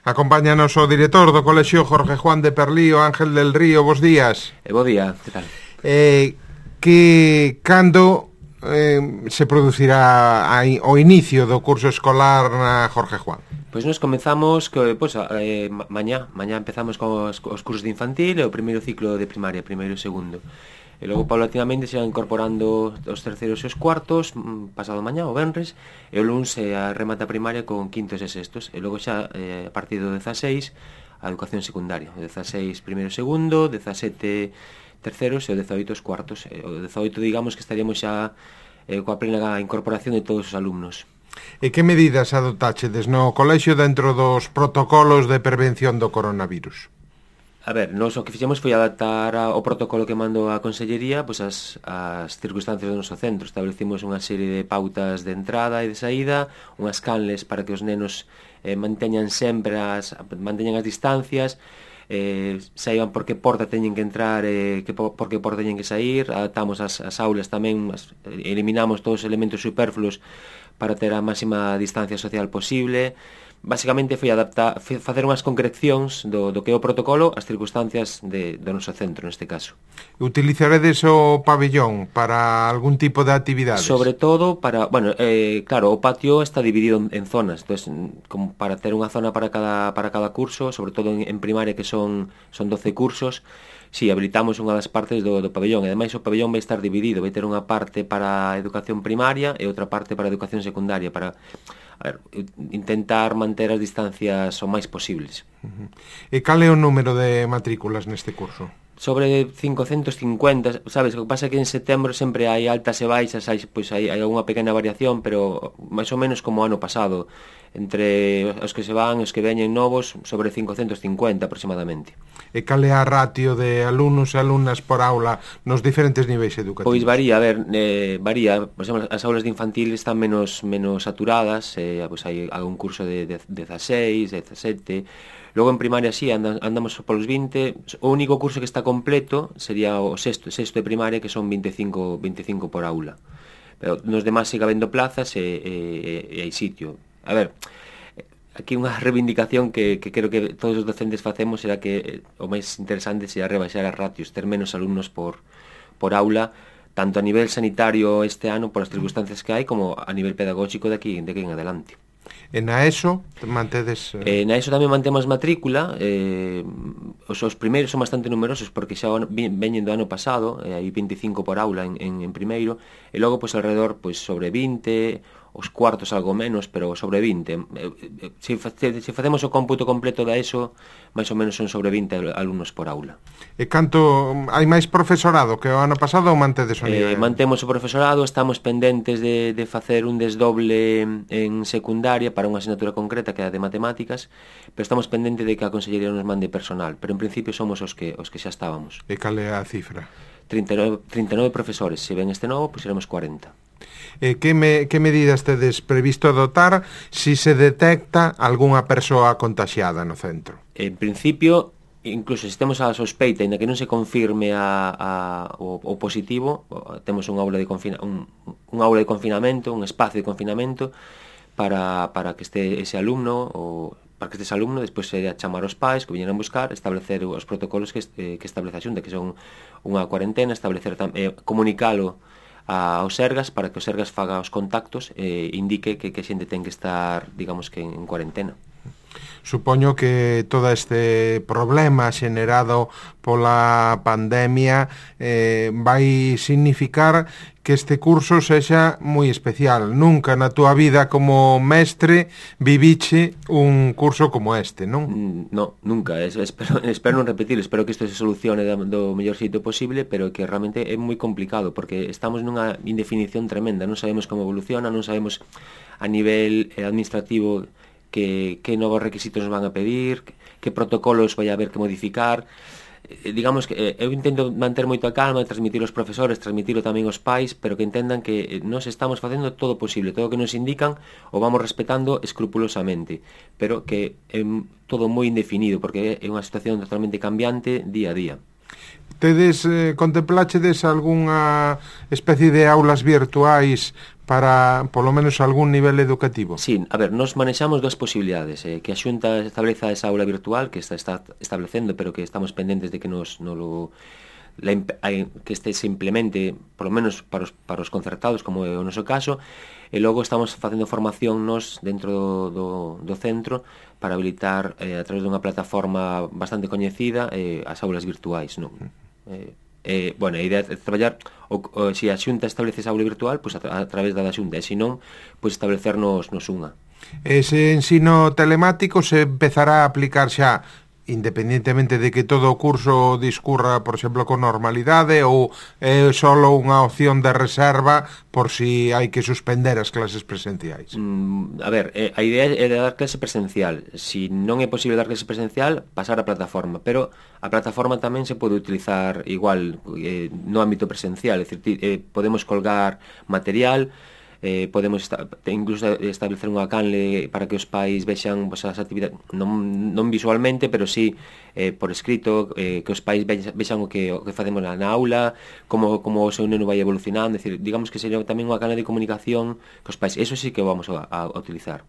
Acompáñanos o director do Colexio Jorge Juan de Perlío, Ángel del Río. Bos días. Bo día, que tal? Cando se producirá o inicio do curso escolar na Jorge Juan? Pois nos comezamos mañá empezamos cos cursos de infantil e o primeiro ciclo de primaria, primeiro e segundo. E logo paulatinamente se van incorporando os terceiros e os cuartos, pasado mañá, o venres, e o luns a remata primaria con quintos e sextos, e logo xa a partir do 16 a educación secundaria, o 16 primeiro e segundo, 17 terceros e o 18 os cuartos. O 18 digamos que estaríamos xa coa plena incorporación de todos os alumnos. E que medidas adoptachedes no colexio dentro dos protocolos de prevención do coronavirus? A ver, nós o que fixemos foi adaptar o protocolo que mandou a Consellería pois as circunstancias do noso centro. Establecimos unha serie de pautas de entrada e de saída, unhas canles para que os nenos manteñan as distancias, saiban por que porta teñen que entrar por que porta teñen que sair. Adaptamos as aulas tamén, eliminamos todos os elementos superfluos para ter a máxima distancia social posible. Basicamente foi facer unhas concrecións do que é o protocolo ás circunstancias do noso centro neste caso. Utilizaredes o pabellón para algún tipo de actividades? Sobre todo para, claro, o patio está dividido en zonas, entonces, como para ter unha zona para cada curso, sobre todo en primaria que son 12 cursos. Si, habilitamos unha das partes do pabellón, e ademais o pabellón vai estar dividido, vai ter unha parte para a educación primaria e outra parte para a educación secundaria, para intentar manter as distancias o máis posibles. E cal é o número de matrículas neste curso? Sobre 550, sabes, o que pasa é que en setembro sempre hai altas e baixas, hai algunha pequena variación, pero máis ou menos como o ano pasado, entre os que se van e os que veñen novos, sobre 550 aproximadamente. E cal é a ratio de alumnos e alumnas por aula nos diferentes niveis educativos? Pois varía, varía. Por exemplo, as aulas de infantil están menos saturadas, pois hai algún curso de 16, 17. Logo en primaria sí, andamos polos 20. O único curso que está completo sería o sexto de primaria, que son 25 por aula. Pero nos demás sigue habendo plazas e hai sitio. A ver, aquí unha reivindicación que creo que todos os docentes facemos era que o máis interesante sería rebaixar as ratios, ter menos alumnos por aula, tanto a nivel sanitario este ano por as circunstancias que hai, como a nivel pedagógico de aquí en adelante. E na ESO mantedes... Na ESO tamén mantemos matrícula. Os primeiros son bastante numerosos porque xa veñen do ano pasado, hai 25 por aula en primeiro, e logo pois alrededor pois sobre 20, os cuartos algo menos, pero sobre 20. Se facemos o cómputo completo da ESO, máis ou menos son sobre 20 alumnos por aula. E canto hai máis profesorado que o ano pasado ou mantedes o nivel? Mantemos o profesorado, estamos pendentes de facer un desdoble en secundaria para unha asignatura concreta que é a de matemáticas, pero estamos pendentes de que a Consellería nos mande personal, pero en principio somos os que xa estábamos. E cal é a cifra? 39 profesores, se ven este novo, pois seremos 40. Que medidas tedes previsto adoptar si se detecta algunha persoa contaxiada no centro? En principio, incluso se temos a sospeita, ainda que non se confirme o positivo, temos unha aula de confinamento, un espacio de confinamento para que este ese alumno despois se chamar os pais que viñeran buscar, establecer os protocolos que establece a Xunta, que son unha cuarentena, establecer comunicalo aos Sergas para que os Sergas faga os contactos e indique que xente ten que estar, digamos que en cuarentena. Supoño que todo este problema xenerado pola pandemia vai significar que este curso sexa moi especial. Nunca na túa vida como mestre viviche un curso como este, non? No, nunca. Espero non repetir. Espero que isto se solucione do mellor xeito posible, pero que realmente é moi complicado porque estamos nunha indefinición tremenda. Non sabemos como evoluciona, non sabemos a nivel administrativo que novos requisitos nos van a pedir, que protocolos vai haber que modificar. Digamos que eu intento manter moito a calma, transmitir aos profesores, transmitirlo tamén aos pais, pero que entendan que nós estamos facendo todo posible, todo o que nos indican o vamos respetando escrupulosamente, pero que é todo moi indefinido, porque é unha situación totalmente cambiante día a día. Tedes, contemplachedes algunha especie de aulas virtuais para, polo menos, algún nivel educativo? Sí, a ver, nos manexamos dúas posibilidades, que a Xunta estableza esa aula virtual que está establecendo, pero que estamos pendentes de que que este se implemente, por lo menos para os concertados, como é o noso caso, e logo estamos facendo formación nos dentro do centro para habilitar a través dunha plataforma bastante coñecida as aulas virtuais, non? Bueno, a idea é traballar se a Xunta establece esa aula virtual, pois a través da Xunta, e se non, pois establecernos unha. Ese ensino telemático se empezará a aplicar xa independentemente de que todo o curso discurra, por exemplo, con normalidade, ou é só unha opción de reserva por si hai que suspender as clases presenciais? A ver, a idea é de dar clase presencial. Si non é posible dar clase presencial, pasar a plataforma, pero a plataforma tamén se pode utilizar igual no ámbito presencial, é dicir, podemos colgar material, podemos incluso establecer unha canle para que os pais vexan as actividades, non visualmente, pero sí por escrito, que os pais vexan o que facemos na aula, como o seu neno vai evolucionando, é dicir, digamos que sería tamén unha canle de comunicación cos pais. Eso sí que vamos a utilizar.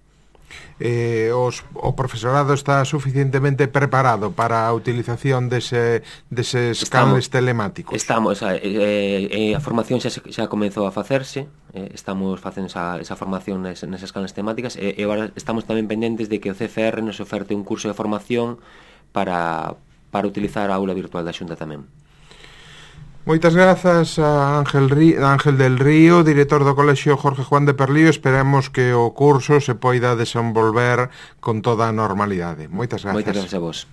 O profesorado está suficientemente preparado para a utilización deses canles telemáticos? Estamos, a formación xa comezou a facerse, estamos facendo esa formación nesas canles temáticas, e agora estamos tamén pendentes de que o CFR nos oferte un curso de formación para utilizar a aula virtual da Xunta tamén. Moitas grazas a Ángel del Río, director do Colexio Jorge Juan de Perlío. Esperemos que o curso se poida desenvolver con toda a normalidade. Moitas grazas. Moitas grazas a vos.